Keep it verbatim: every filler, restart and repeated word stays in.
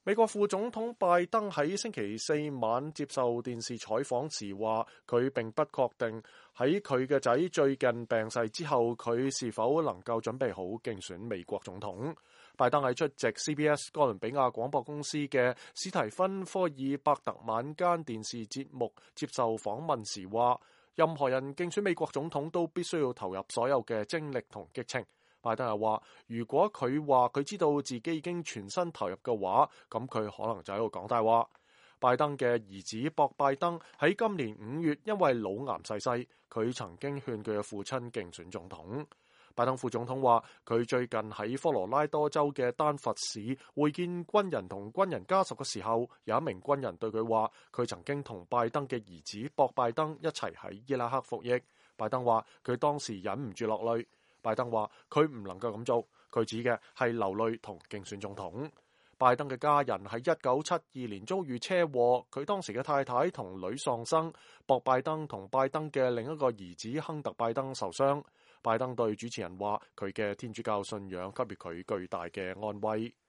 美國副總統拜登喺星期四晚接受電視採訪時話，佢並不確定喺佢嘅仔最近病逝之後，佢是否能夠準備好競選美國總統。拜登喺出席 C B S 哥倫比亞廣播公司嘅史提芬科爾伯特晚間電視節目接受訪問時話，任何人競選美國總統都必須要投入所有嘅精力同激情。拜登又話，如果佢話佢知道自己已經全身投入嘅話，咁佢可能就喺度講大話。拜登嘅兒子博拜登喺今年五月因為腦癌逝世，佢曾經勸佢嘅父親競選總統。拜登副總統話，佢最近喺科羅拉多州嘅丹佛市會見軍人同軍人家屬嘅時候，有一名軍人對佢話，佢曾經同拜登嘅兒子博拜登一齊喺伊拉克服役。拜登話，佢當時忍唔住落淚。拜登話佢唔能夠咁做，佢指嘅係流淚同競選總統。拜登嘅家人喺一九七二年遭遇車禍，佢當時嘅太太同女喪生，博拜登同拜登嘅另一個兒子亨特拜登受傷。拜登對主持人話，佢嘅天主教信仰給予佢巨大嘅安慰。